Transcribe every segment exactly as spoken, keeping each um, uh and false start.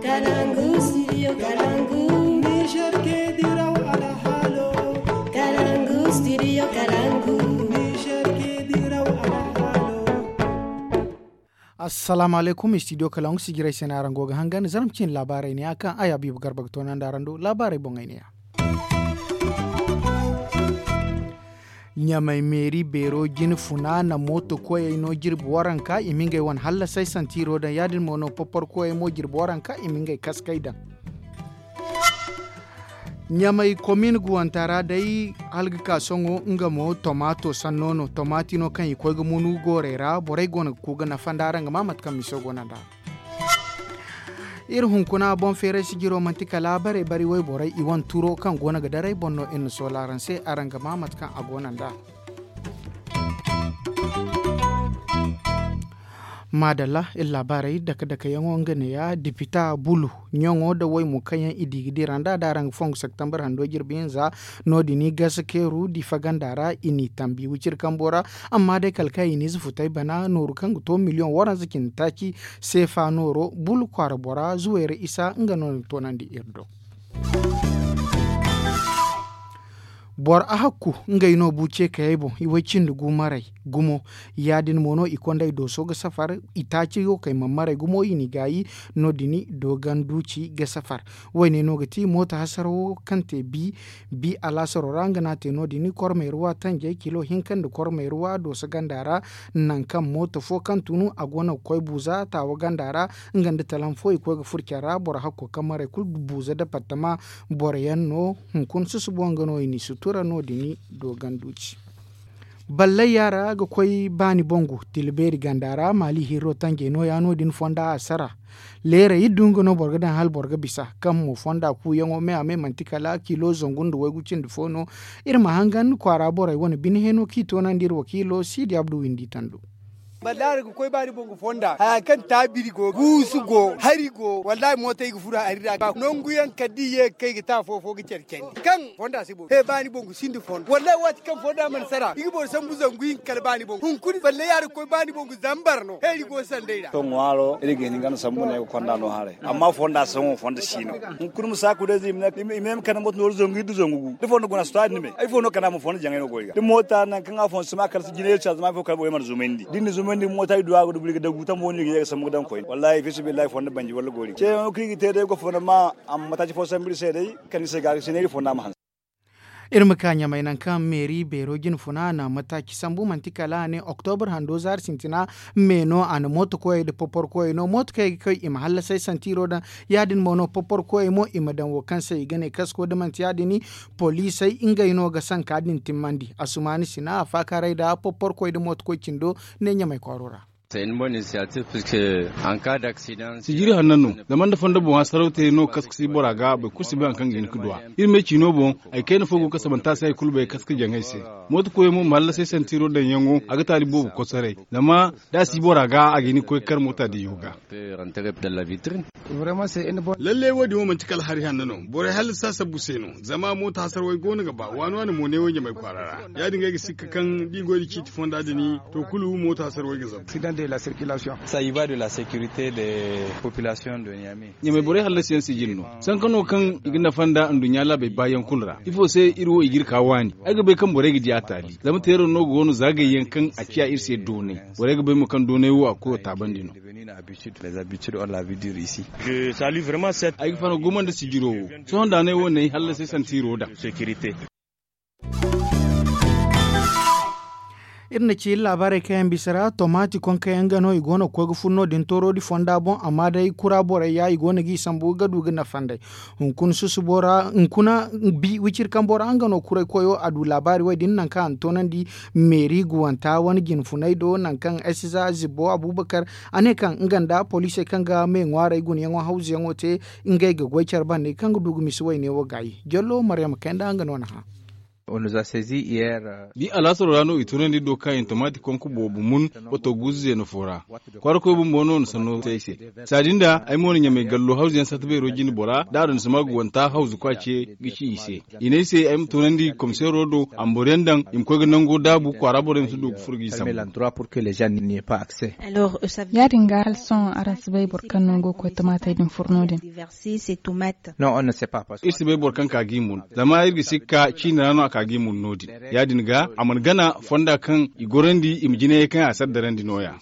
Kalangu, studio Kalangu. Niger ke diraw alhalo. Kalangu, studio Kalangu. Niger ke diraw alhalo. Assalamu alaikum, studio Kalangu, sijiray se no araŋ go ga hangan, zarma cine laabaarey ne a kaŋ ay Habiibu Garba ga toonandi araŋ do laabaarey boŋey ne ya. Ɲamay meeri beero jine funa na mooto koyey no jirbi waranka i ma ngey wane hallasay santiiro daŋ ya- din mo no popporo koyey mo jirbi waranka i ma ngey kaskey daŋ. Ɲamay komin guwanta ra day, hala ga ka sohõ nga mo tomaato sanno no tomaati no kaŋ i koy ga munu goorey ra borey go no ga ku ga nafa nd'a araŋ ga ma mate kaŋ miso go no nd'a. Iri hunkuna boŋ feeray sijiro manti kala bare bari wayborey i wane turo kaŋ go no ga daray boŋ no iri na soola araŋ se araŋ ga ma mate kaŋ a go no nd'a. Maadalla, iri laabaarey dake dake yaŋo nga neeya dipita bulu ɲaŋo nda waymo kaŋ yaŋ i di ga dira nd'a da araŋ ga fongu septembre hando jirbi hinza. No- din i gasa keeru difa ganda ra i n'i tambi wiciri kambo ra. Amma day kala kaŋ i n'ize futay bana nooru kaŋ ga to miliyoŋ waranza cindi taaci seefa nooro bulu kwaara bora zuwayra isa nga no na toonandi iri do. Boro ahakku ngey no bu ce kayey boŋ i way cindi gu maray gumo. Ya- din mo no i kondey dooso ga safar i taaci wo kay mana maray gumo i n'i gaayi. No- din dooganduuci ga safar. Wayne no ga ti mooto hasaro wo kaŋ te bi bi alaasaro ra nga no a te no- din kormeeruwa tanjey kilo hinka nda kormeeruwa dooso ganda ra. Nangu kaŋ mooto fo kaŋ tunu a go no ga koy buuza taawa ganda ra nga nda talam fo i koy ga furo care ra boro hakko kaŋ maray kulu buuza departama. Boro yaŋ no hunkuna susubo nga no i n'i sutura no- din dooganduuci. Ballay yaara ga koy baani bongu tila beeri ganda ra maali hirro tanjey nooya no- din fonda a sara. Leerey iri du nga no boro ga daŋ hala boro ga bisa kaŋ mo fonda kuuyaŋo me a me manti kala kilo zangu nda waygu cindi fo no. Iri ma hangan kwaara borey wane bine heeno kaŋ i toonandi iri wakiilo siidi abdu windi tando. Ballay yaara ga koy baani bongu fonda haya kaŋ taabiri go guusu go hari go wallahi mootey ga furo hari ra nangu yaŋ kala da i ye ga kay ga te afo fo ga care candi kaŋ fonda si boŋ he baani boŋ ga sinda fondo wallahi waati kaŋ fonda mana sara i ga boro sambu zangu hinka kala baani boŋ hunkuna balle yaari ga koy baani boŋ ga zambar no he iri go sanday ra. To ŋwaaro iri ga hin ga na sambu no ay ga konda no haray amma fonda saŋo fonda si no. Hunkuna ma saaku day zay i ma ne ay ma kande moto nooru zangu iri da zangu gu da fondo guna si to ya- din ni me ay fondo kala ma fondo jaŋay no go i ga da moota nangu kaŋ a fondo si ma kala si jinay iri caazama ay fo kala borey mana zumayndi da iri na zumayndi moota iri du a ga dubu iri ga dagu tambo no iri ga ye ga sambu ga daŋ koyne wallahi fiisa billahi fondo banji walla goori ceeyaŋo kaŋ iri ga te day go fondo ma. Amma mataaci fo sambu iri se day kala ni se ga ga sinay iri fonda ma hanse. Iri ma ka ɲamay nangu kaŋ meeri beero jine funa a na mataaci sambu manti kala a ne oktobur hando zaari sintina me no a na mooto koyey nda popor koyey no mooto kaŋ i ga kay i ma hallasay santiiro daŋ. Ya- din mo no popor koyey mo i ma daŋ wo kaŋ se i ga ne kasko da manti ya- din poliisey ngey no ga sanka din timmandi asumaani sina a faakaaray nda popor koy nda mooto koy cindo. Ne ɲamay kwaaro ra. Sijiri hanno no zama nda fondo boŋ hasaraw te no kaska si bora ga boro kulu si bay hari kaŋ ga hin ga duw'a. Iri me ciino boŋ hari kayna fo go kaŋ sabanta se hari kulu bay kaska jaŋay se. Mooto koyo mo ma hallasay santiro daŋyaŋo a ga taali boobo kosoray zama da a si bora ga a ga hin ga koy ga kar moota diyo ga. Lalle wo- din wo manti kala hari hanno no borey hallasa sabbu se no. Zama mooto hasara way go no ga ba waani waani mo ne wo ɲamay kwaara ra. Ya- din ga ay ga sikka kaŋ da i goy da ciiti fonda din to kulu mooto hasara way ga zabu. Ɲamay borey hallasiyaŋ sijin no sanka no kaŋ i ga nafa nda nduɲɲa laabey baayaŋ kulu ra ifo se iri wo i ga iri ka waani. Ay ga bay kaŋ borey ga di a taali zama teero no go no zaagayyaŋ kaŋ a ciya iri se doonay. Borey ga bay mo kaŋ doonay wo a kuro taabandi no. Ay ga fano gumo nda sijiro wo sohõ nda a ne wo n'ay hallasay santiro daŋ. Iri na ci iri laabaarey kaŋ yaŋ bisa ra tomaati konka yaŋ ga no i go no ga koy ga furo no- din toorodi fonda boŋ amma day kura borey ya i go no g'i sambu ga du ga nafa nd'ey. Hunkuna susubo ra hunkuna bi wiciri kambo ra nga no kuray koyo a du laabaari wo- din nangu kaŋ a na toonandi meeri guwanta wane jine funay do nangu kaŋ ay si za zibbo abuubakar. A ne kaŋ nga nda poliisey kaŋ ga me ŋwaarey gunayaŋo hawzuyaŋo te ngey ga goy care bande kaŋ ga du ga misi wayne wo gaayi jallo maryama kayna nga no na hã. Di alaasaro ra no i tunandi do kaŋ i na tomaati konko boobo mun wato guuzu zeena fo ra. Kwaara koy bumbo no na sanno te ay se. Saadin da ay mo na ɲamay gallo hawzu yaŋ sata beero jine bora da a daŋ sima ga wanta hawzu kwa ce ga ci i se. I ne ay se ay ma tunandi komiseero do a ma boro yaŋ daŋ i ma koy ga nango daabu kwaara borey ma si du ga furo ga i sambu. Ya- din ga hala sohõ araŋ si bay boro kaŋ no go ga koy tomaatey din furo no- din? Iri si bay boro kaŋ ka ga i mun. Zama iri ga si ga ka ciini ra no a ka ga i mun no- din. Ya- din ga a mana gana fonda kaŋ i gorandi i ma jinayey kaŋ a si addarandi no- ya.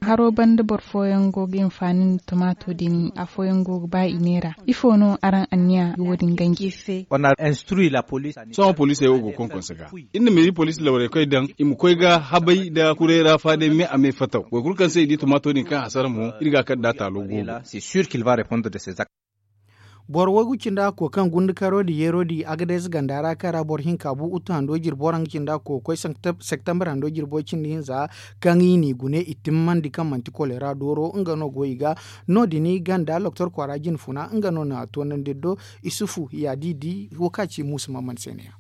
Haro banda boro fooyaŋ go ga hinfaani nda tomaato din afooyaŋ go ga ba i neera. Ifo no araŋ anniya ga wo- din ganji? Sohõ poliisey wo go konkonse ga. Iri na meeri poliisi lawrey koy daŋ i ma koy ga habay nda kuray ra faadey me a me fataw boro kulu kaŋ se i di tomaato din kaŋ hasara mo iri ga a kar nd'a taalo goobo. Boro waygu cindi hakko kaŋ gundukaro din yeero din agadez ganda ra kaŋ ra boro hinka bu uttu hando jirbi waranka cindi hakko ga koy septembre hando jirbo cindi hinza, kaŋ i n'i gune i timmandi kaŋ manti kolera dooro nga no go i ga. No- din ganda loktor kwaara jine funa nga no na toonandi do. Isufu ya di di wo kaŋ a ci muusu mamman se ne- ya.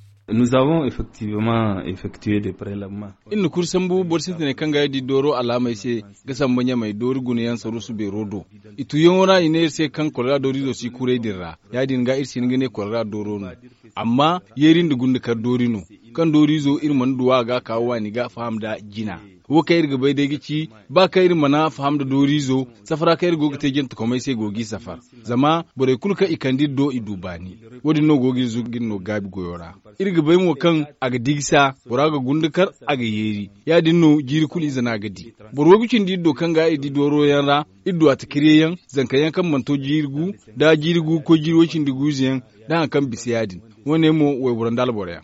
Iri na kuri sambu boro sintiney kaŋ ga ay di dooro alaamey se ga samba ɲamey doori guna yaŋ saruusu beero do. I tuuyaŋo ra i ne iri se kaŋ kolera dooriizo si kuray din ra. Ya- din ga iri si hin ga ne kolera dooro no. Amma yeeri nda gundukar doori no, kaŋ dooriizo iri mana du a ga a ka waani ga a faham nda jina. Wo kaŋ iri ga bay day ga ci ba kaŋ iri mana faham nda dooriizo, safara kaŋ iri go ga te jantekomey se go g'i safar. Zama borey kulu kaŋ i kande iri do i du baani. Wo- din no go ga iri zugu ga iri no gaabi goyo ra. Iri ga bay mo kaŋ a ga digisa, bora ga gundukar, a ga yeeri. Ya- din no jiiri kulu ize no a ga di. Boro waygu cindi iri do kaŋ ga i di dooro yaŋ ra, iri du a takirye yaŋ, zanka yaŋ kaŋ mana to jiiri gu, nda jiiri gu ga koy jiiri way cindi gu ize yaŋ, nda hari kaŋ bisa ya- din. Wo- ne mo wayboro nda alboro yaŋ.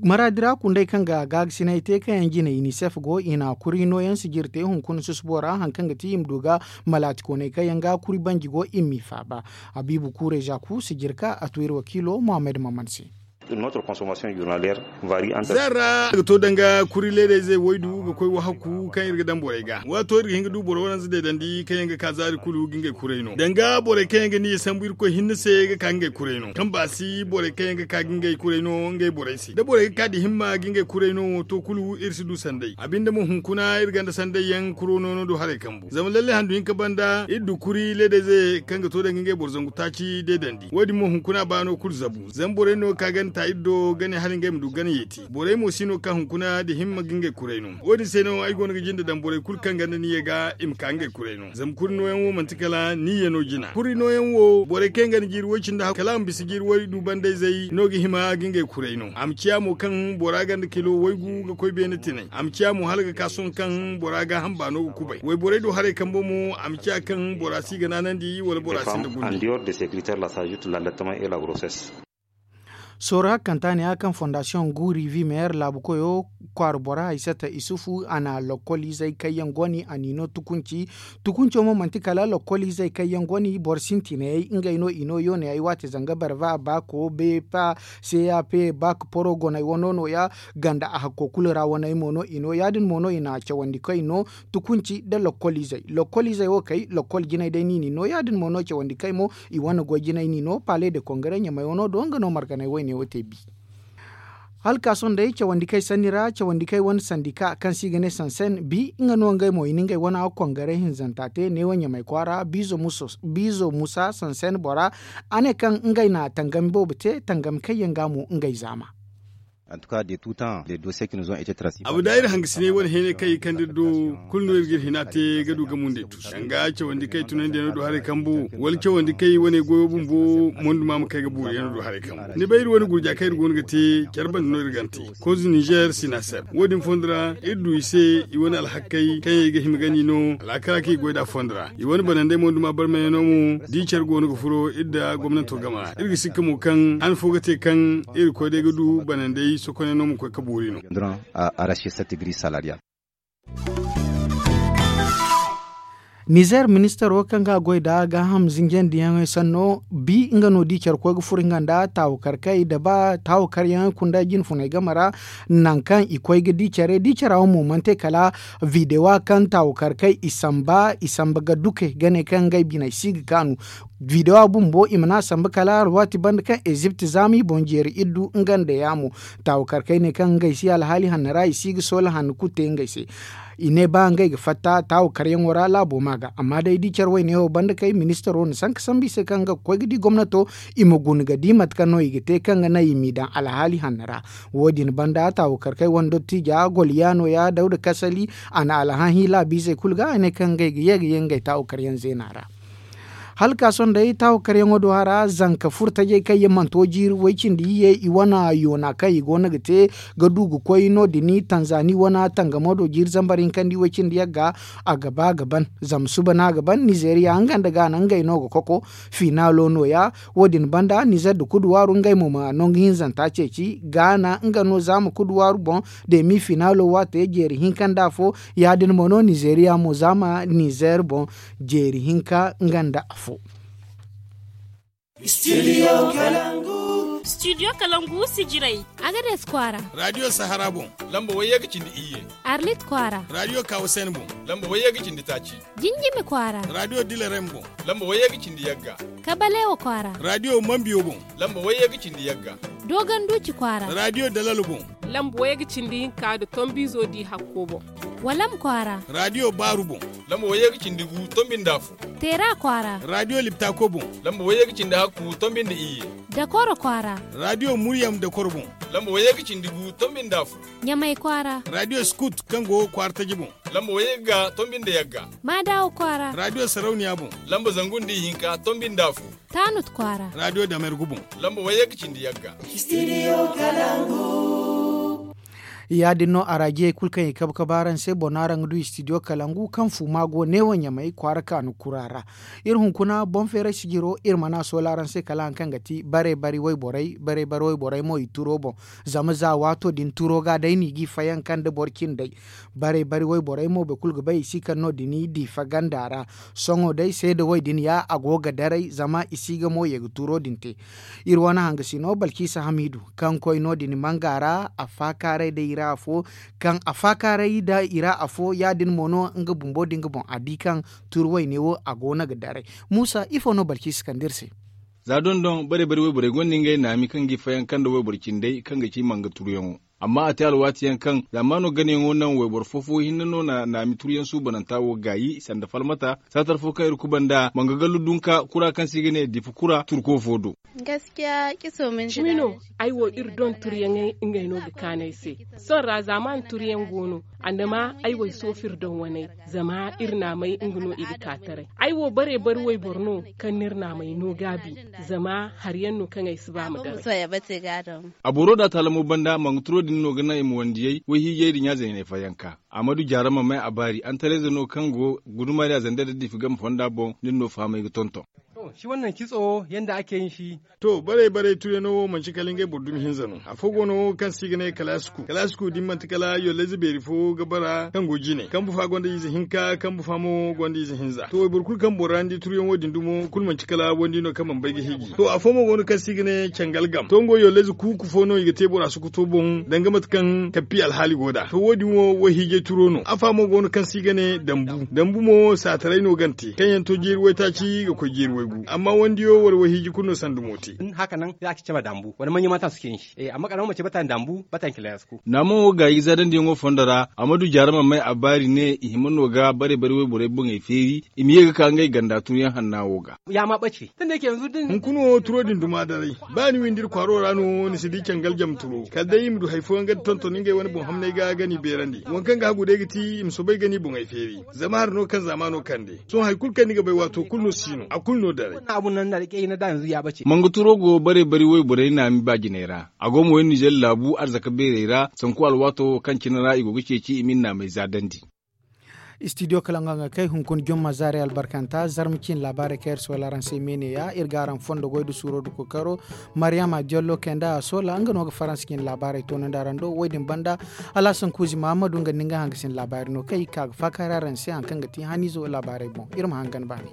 Maraadi ra kundey kaŋ ga gaagasinay te kaŋ yaŋ jinay unicef go i na kuri nooyaŋ sijiri te hunkuna susubo ra hari kaŋ ga ti i ma du ga malaatikooney kaŋ yaŋ ga kuri banji go i m'i faaba. Habiibu kuurey zaku sijiri ka a tu iri wakiilo muhammad maman se. Zarra ga to danga kuri leedayzey waydu ga koy wahakku kaŋ iri ga daŋ borey ga waato iri ga hin ga du boro waranza deedandi kaŋ yaŋ ga ka zaari kulu ga ngey kuray no danga borey kaŋ yaŋ ga niya sambu irkoy hinne se ga ka ga ngey kuray no kaŋ ba si borey kaŋ yaŋ ga ka ga ngey kuray no ngey borey se da borey ga ka da himma ga ngey kuray no to kulu iri si du sanday a binde mo hunkuna iri gonda sanday yaŋ kuro no no du haray kambu zama lalle handu hinka banda iri du kuri leedayze kaŋ ga to danga ngey boro zangu taaci deedandi wo- din mo hunkuna baano kulu zabu zama borey no ka gana ta iri do gane hala ngey ma du gana yeeti borey mo si no ka hunkuna da himma ga ngey kuray no wo- din se no ay go no ga jinde daŋ borey kulu kaŋ gonda niya ga i ma ka ngey kuray no zama kuri nooyaŋ wo manti kala niya no jina kuri nooyaŋ wo borey kaŋ yaŋ gonda jiiri way cindi kala a ma bisa jiiri way du bandayzey no ga hima ga ngey kuray no a ma ciya mo kaŋ bora gonda kilo waygu ga koy beene tinay a ma ciya mo hala ga ka sohõ kaŋ bora gaaham baano ga kubay wayborey do haray kambo mo a ma ciya kaŋ bora si ga naanandi wala bora sinda gundi. Sooru hakkanta ne ya kaŋ fondasiyoŋ guuri vimeyer laabu koyo kwaara bora haysata isufu a na lokkol izey kaŋ yaŋ go ni a n'i no tukunci. Tukunco mo manti kala lokkol izey kaŋ yaŋ go ni boro sintinayey ngey no i no yooney ay waate zanga barva baako beepa cap baak poro goney wano nooya ganda a hakko kulu ra waney mo no i no ya- din mo no i na cawandi kaŋ i no tukunci nda lokkol izey lokkol izey wo kay lokkol jinay day no i n'i no ya- din mo no cawandi kaŋ i mo i wane goy jinay n'i no pale de kongare ɲamay wano do nga no marganay wayne wo te bi. Hala ka sohõ day cawandi kaŋ ay sanni ra cawandi kaŋ ay wane sandika kaŋ se i ga ne sansen bi nga no ngey mo i na ngey wane kongare hinzanta te neewo ɲamay kwaara biizo musa sansen bora a ne kaŋ ngey na tangami boobo te tangami kaŋ yaŋ ga mo ngey zaama. Abada iri hangasiney wane heeney kaŋ i kande iri do kulu no iri ga iri hina te ga du ga mundey tusu danga cawandi kaŋ i tunandiyaŋo do haray kambu wala cawandi kaŋ i wane goyo bumbo monduma ma kay ga buuriyaŋo do haray kambu ni bay iri wane gurja kaŋ iri go no ga te care banda no iri gante kozo nizer sinaser wo- din fondo ra iri du i se i wane alhakey kaŋ yaŋ i ga hima ga ni no alaakara kaŋ i goy nd'a fondo ra i wane banandey monduma barmayaŋo mo da i care go no ga furo iri nda gomnanto game ra iri ga sikka mo kaŋ han fo ga te kaŋ iri koy day ga du banandey sokonyaŋo ma koy ga buuri no. Nizer ministaro kaŋ ga a goy nda gaaham zinjandiyaŋey sanno bi nga no da i care koy ga furo nga nda taawakarkey da ba taawakaryaŋey kunda jinfuney game ra, nangu kaŋ i koy ga di care di cara wo mo mana te kala videwa kaŋ taawakarkey i samba i samba ga duke ga ne kaŋ ngey biney si ga kaanu. Videwa bumbo i mana a samba kala alwaati banda kaŋ ezipt zaama i boŋ jeeri iddu nga nda yaamo. Taawakarkey ne kaŋ ngey si alhaali hanno ra i si ga soola hanno kulu te ngey se. I ne ba ngey ga fatta taawakaryaŋo ra laabo ma ga amma day da i care wayne wo banda kay ministaro na sanka sambu i se kaŋ ga koy ga di gomnato i ma guna ga di mate kaŋ no i ga te kaŋ ga naŋ i m'i daŋ alhaali hanno ra. Wo- din banda taawakarkey wane dottija golyaano ya dawda kasali a na alhahi laabiizey kulu ga a ne kaŋ ngey ga ye ga ye ngey taawakaryaŋ zeena ra. Hala ka sohõ day taawakaryaŋo do hara zanka furtajey kaŋ yaŋ manto jiiri way-cindi iyye i wane yoona kaŋ i go no ga te ga du ga koy no- din tanzani wane tangamo do jiiri zambar hinkandi way-cindi yagga. A ga ba ga ban zama suba no a ga ban nizeriya nga nda gaana ngey no ga koko. Finaalo no- ya wo- din banda nizer nda kuduwaaru ngey mo ma nangu hinzanta ceeci gaana nga no zaama kuduwaaru boŋ. Demi finaalo waate jeeri hinka nda afo ya- din mo no nizeriya mo zaama nizer boŋ jeeri hinka nga nda afo. Studio kalangu sijirey. Agades kwaara. Radio sahara boŋ. Lamba wayye ga cindi iyye. Arlit kwaara. Radio kawasen boŋ. Lamba wayye ga cindi taaci. Jinjimi kwaara. Radio dilerem boŋ. Lamba wayye ga cindi yagga. Kabalewa kwaara. Radio mambiyo boŋ. Lamba wayye ga cindi yagga. Dogon duuci kwaara. Radio dalalo boŋ. Lamba wayye ga cindi hinka nda tombiizo di hakko boŋ. Walam kwaara. Radio baaru boŋ. Lamba wayye ga cindi gu tombi nda afo. Teera kwaara. Radio liptako boŋ. Lamba wayye ga cindi hakku tombi nda iyye. Dakoro kwaara. Radio muryam dakoro boŋ. Lamba wayye ga cindi gu tombi nda afo. Ɲamay kwaara. Radio skut kaŋ go kwaara taji boŋ. Lamba wayye ga tombi nda yagga. Maadawa kwaara. Radio sarauniya boŋ. Lamba zangu nda ihinka tombi nda afo. Taanut kwaara. Radio damergu boŋ. Lamba wayye ga cindi yagga. Ya- din no araajiyey kulu kaŋ i kabe kabe araŋ se boro no araŋ ga du studio kalangu kaŋ fuuma go neewo ɲamey kwaara kaanu kura ra. Iri hunkuna boŋ feeray sijiro iri mana a soola araŋ se kala hari kaŋ ga ti bare bari wayborey bare bari wayborey mo i turo boŋ. Zama za waato din turo ga day no i g'i fayanka nda boro cindey. Bare bari wayborey mo boro kulu ga bay i si kaŋ no- din i diifa ganda ra. Sohõ day seeda way din ya a go ga daray zama i si ga mo ye ga turo din te. Iri wane hangasino balkisa hamiidu kaŋ koy no- din manga ra a faakaaray day i ra afo. Kaŋ a faakaaray da i ra afo ya- din mo no nga bumbo da nga boŋ a di kaŋ turu wayne wo a go no ga daray. Muusa ifo no balkisa kande iri se? Za dondon bare bare wayborey gonda ngey naami kaŋ ga i fayanka nda wayboro cindey kaŋ ga ci manga turuyaŋo. Amma a te alwaati yaŋ kaŋ zaamaano ganayaŋo naŋ wayboro fo fo hinne no na naami turuyaŋ suubananta wo gaayi sanda falmata saatar fo kaŋ iri kuba nda manga gallu dunka kura kaŋ se i ga ne difa kura turko fo do. Cimi no ay wo iri don turyaŋey ngey no ga kaanu ay se. Sohõ ra zaamaana turyaŋ go no. Andama ay wo ay soofu iri don waney. Zama iri naamey nga no i ga ka taray. Ay wo bare bari wayboro no kaŋ no iri naamey no gaabi. Zama hari yaŋ no kaŋ ay si ba ma daray. A boro da taalamo banda manga turo din no ga naŋ i ma wandiyey wayhiijey din ya zayney fayanka. Amadu jaarama may a baari antaleza no kaŋ go gudumaariya zanda da diifi game fonda boŋ nin no fahamay ga tonton. To shi wannan kitso yanda ake yin shi. To bare bare tureno wo manci kala ngey boro dumi hinza no afo go no kaŋ se i ga ne kalaasiku kalaasiku din manti kala yollayze beeri fo ga bara kaŋ go jine kambu fa gonda ize hinka kambu fa mo gonda ize hinza to wayboro kulu kaŋ bora ni di turyaŋo din dumo kulu manci kala wandi no kaŋ mana bay ga hiji to afo mo go no kaŋ se i ga ne cangal gam to nga wo yollayze kuuku fo no i ga te bora sukuto boŋ danga mate kaŋ kappi alhaali go nd'a to wo- din wo wayhiijay turo no afa mo go no kaŋ se i ga ne dambu dambu mo saataray no gante kaŋ yaŋ to jeeri waytaaci ga koy jeeri waygu amma wandiyo wala wayhiiji kulu no sanda mo te. Haka nan za a ci caba dambu wala manya mata suke yin shi amma karama mace bata dambu bata yin kilayas ko. Naaman wo gaayi zaadandi yaŋo fondo ra amadu jaarama may a baari ne i hima no ga bare bare wayborey boŋey feeri i ma ye ga ka ngey ganda tun yaŋ hanna wo ga. Ya ma bace tun da yake yanzu din hunkuna wo turo din duma daray ba ni windi iri kwaaro ra no ni si di cangal jam turo kala day i ma du hari fooyaŋ ga tonton ngey wane boŋ hamney ga ga ni beerandi waŋ kaŋ ga hagu day ga ti i ma soobay ga ni boŋey feeri. Zama hari no kaŋ zaamaano kande sohõ hari kulu kaŋ ni ga bay waato kulu no si no a kulu no daray. Manga turo go bare bari wayborey naami ba jinay ra a go ma way nizer laabu arzaka beerey ra sanku alwaato wo kaŋ cine ra i go ga ceeci i ma ni naamey zaadandi. Istidiyo kala nga ga kay hunkuna jomma zaari albarkanta zarma ciine laabaarey kaŋ iri si wala araŋ se me ne ya iri ga araŋ fondo goy nda suuro nda kookaro. Mariyama diallo kay nda a soola nga no ga faransa ciine laabaarey toonandi araŋ do wo- din banda. Alhasan kuuzi mahammadu nga nda ni ga hangasin laabaari no kaŋ i ga ka ga faakari araŋ se hari kaŋ ga ti haniizo laabaarey boŋ iri ma hangan baani.